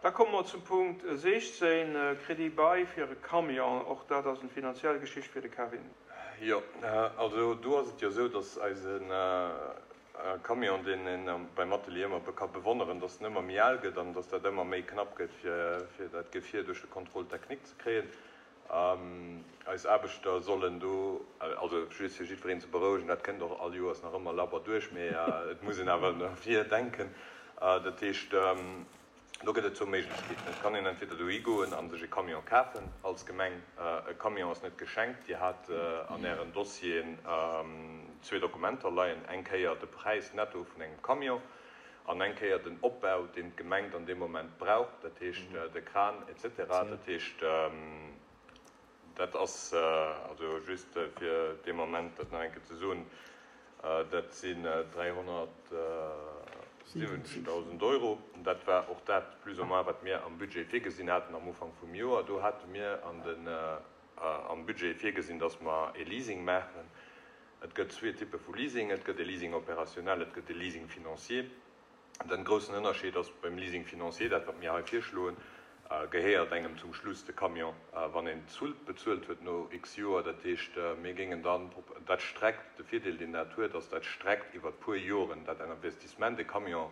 Da komme mer zum Punkt 16, Crédit bail fir e Camion. Och dat ass eng finanziell Geschicht fir de Kevin. Jo, also do ass et jo esou, dass eise Camion, deen ee beim Atelier ëmmer ka bewonneren, dass en ëmmer méi al gëtt an dass dat ëmmer méi knapp gëtt, fir dat Gefier duerch de Contrôle technique ze kréien. Eis Aarbechter sollen do, also just fir jiddwereen ze berouegen, dat kënnt och all Joers nach ëmmer labber duerch, mee et muss een awer no vir denken. Dat heescht, do gëtt et zwou Méiglechkeeten. Et kann een entweder dohi goen a sech e Camion kafen als Gemeng. E Camion ass net geschenkt. Dir hat an Ären Dossieren zwee Dokumenter leien, eng Kéier de Präis netto vun engem Camion an eng Kéier den Opbau, deen d'Gemeng dann dee Moment brauch, dat heescht de Kran et cetera. Dat heescht, dat ass also just fir dee Moment dat nach eng Kéier ze soen, dat sinn 370.000 Euro. Dat war och dat plus ou moins, wat mir am Budget virgesinn haten am Ufank vum Joer. Do hate mir an den, am Budget virgesinn, dass mer e Leasing maachen. Et gëtt zwee Typpe vu Leasing, Et gëtt e Leasing opérationnel, et gëtt e Leasing financier. Den groussen Ënnerscheed ass, beim Leasing financier, dat wat mir hei virschloen, gehéiert engem zum Schluss de Camion, wann een d'Sult bezuelt huet no x Joer. Dat heescht, mir géingen dann, dat streckt, de Virdeel deen dat huet, ass, dat streckt iwwert puer Joren dat Investissement. E Camion,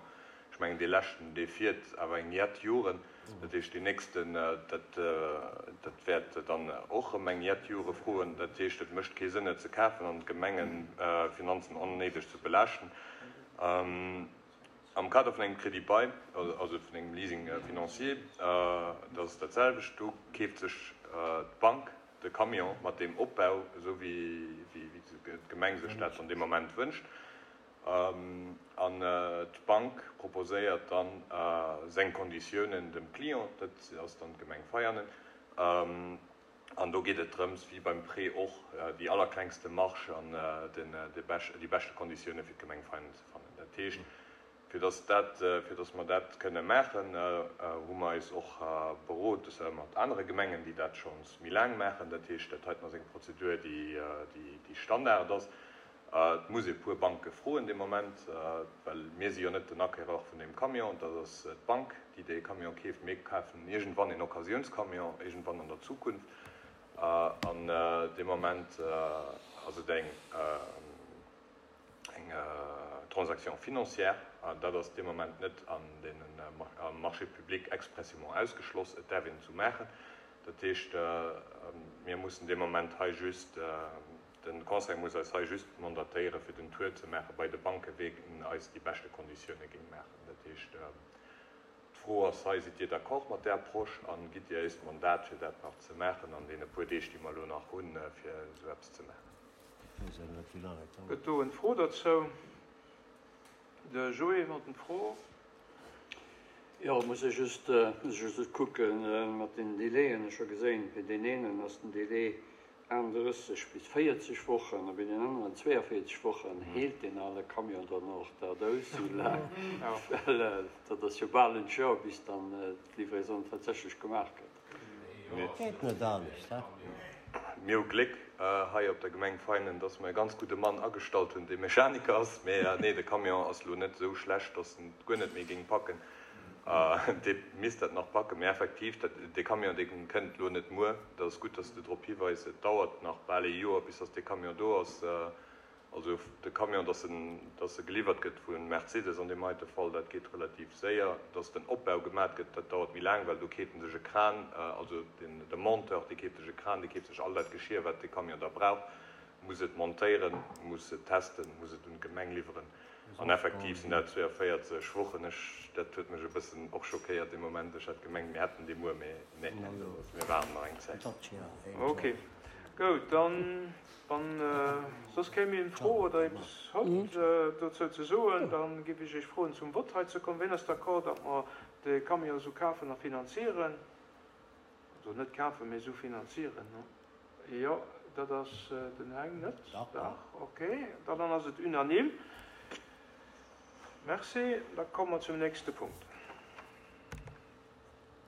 ech mengen dee leschten, dee fiert awer eng jett Joren. Dat heescht, deen nächsten, dat, dat wäert dann och erëm eng jett Jore froen. Dat heescht, et mécht kee Sënn, et ze kafen an d'Gemengefinanzen onnéideg ze belaaschten. Am Kader vun engem Crédit bail, also vun engem Leasing financier, dat ass dat selwecht. Do keeft sech d'Bank de Camion mat deem Opbau, esou wéi d'Gemeng sech dat an deem Moment wënscht. An d'Bank proposéiert dann seng Konditiounen dem Client, dat ass dann d'Gemeng Veianen. An do geet et drëms, wéi beim Prêt och, déi allerklengste Marge an déi beschte Konditioune fir d'Gemeng Veianen ze fannen. Dat heescht, fir dass dat, fir dass mer dat kënne maachen, hu mer eis och berot mat anere Gemengen, déi dat schonns méi laang maachen. Dat heescht, dat heiten ass eng Prozedur, déi Standard ass. Et muss ee puer Banke froen dee Moment, well mir si jo net den Acquéreur vun deem Camion, dat ass d'Bank, déi dee Camion keeft. Mir kafen iergendwann een Occasiounscamion, iergendwann an der Zukunft. An dee Moment ass et eng Transaction financière. Dat ass dee Moment net an deenen, am Marché public expressément ausgeschloss. Et däerf een et esou maachen. Dat heescht, mir mussen dee Moment hei just, De Conseil muss eis hei just mandatéieren, fir den Tour ze maache bei de Banken, wien eis déi beschte Konditioune géing maachen. Dat heescht, d'Fro ass hei, Sidd Dir d'accord mat där Approche a gitt Dir eis d'Mandat, fir dat nach ze maachen an deene puer Deeg, déi mer elo nach hunn, fir esou eppes ze maachen? Gëtt do en Fro dozou? De Joé huet en Fro. Jo, muss ech just, muss ech just kucken mat den Délaiën. Ech hu geséin, fir deen eenen ass den Délai 38 bis 40 Wochen a bei den aneren 42 Wochen. Heelt deen ale Camion dann och dat aus esou laang? Well dat ass jo bal en Joer, bis dann d'Livraison tatsächlech gemaach gëtt. Geet net anescht, he? Mir hu Gléck hei op der Gemeng Veinen, dass mer e ganz gudde Mann agestallt hunn, dee Mechaniker ass. Mee nee, de Camion ass elo net esou schlecht, dass en et guer net méi géing packen. Dee misst dat nach packen. Mee effektiv, dat, dee Camion, dee kënnt elo net muer. Dat ass gutt, dass s de drop hiweis. Et dauert nach bal ee Joer, bis dass dee Camion do ass. Also de Camion, dass en, dass e geliwwert gëtt vu Mercedes an deem heite Fall, dat geet relativ séier. Dass den Opbau gemat gëtt, dat dauert méi laang, well do keeft en sech e Kran, also den, de Monteur, dee keeft sech e Kran, dee keeft sech all dat Geschir, wat dee Camion da brauch, muss et montéieren, muss et testen, muss et un d'Gemeng liwweren. An effektiv sinn dat 42 Wochen. Ech, dat huet mech e bëssen och schockéiert dee Moment. Ech hat gemengt, mir hätten dee muer, mee nee, mir waarden nach eng Zäit. Ok, goud. Dann, wann soss kee méi eng Fro oder eppes hott dozou ze soen, da géif ech Iech froen, zum Vott hei ze kommen. Wien ass d'accord, datt mer de Camion esou kafen a finanzieren? Also net kafen, mee esou finanzieren. Jo, dat ass den Heng net. Dach, ok. Dann ass et unanime. Merci. Da komme mer zum nächste Punkt.